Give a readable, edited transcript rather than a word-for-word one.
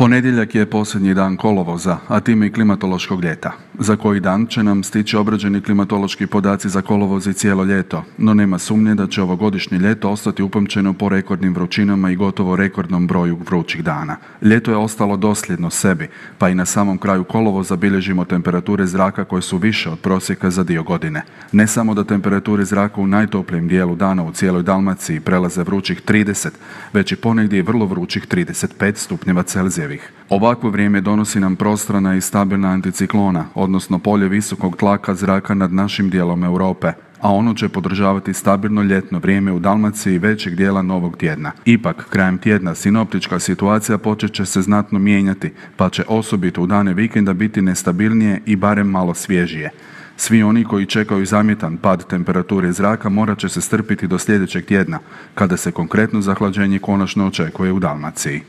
Ponedjeljak je posljednji dan kolovoza, a time i klimatološkog ljeta. Za koji dan će nam stići obrađeni klimatološki podaci za kolovoz i cijelo ljeto, no nema sumnje da će ovogodišnje ljeto ostati upamćeno po rekordnim vrućinama i gotovo rekordnom broju vrućih dana. Ljeto je ostalo dosljedno sebi, pa i na samom kraju kolovoza bilježimo temperature zraka koje su više od prosjeka za dio godine. Ne samo da temperature zraka u najtoplijem dijelu dana u cijeloj Dalmaciji prelaze vrućih 30, već i ponegdje vrlo vrućih 35 stupnjeva Celzijevih. Ovakvo vrijeme donosi nam prostrana i stabilna anticiklona, odnosno polje visokog tlaka zraka nad našim dijelom Europe, a ono će podržavati stabilno ljetno vrijeme u Dalmaciji većeg dijela novog tjedna. Ipak, krajem tjedna sinoptička situacija počet će se znatno mijenjati, pa će osobito u dane vikenda biti nestabilnije i barem malo svježije. Svi oni koji čekaju zamjetan pad temperature zraka morat će se strpiti do sljedećeg tjedna, kada se konkretno zahlađenje konačno očekuje u Dalmaciji.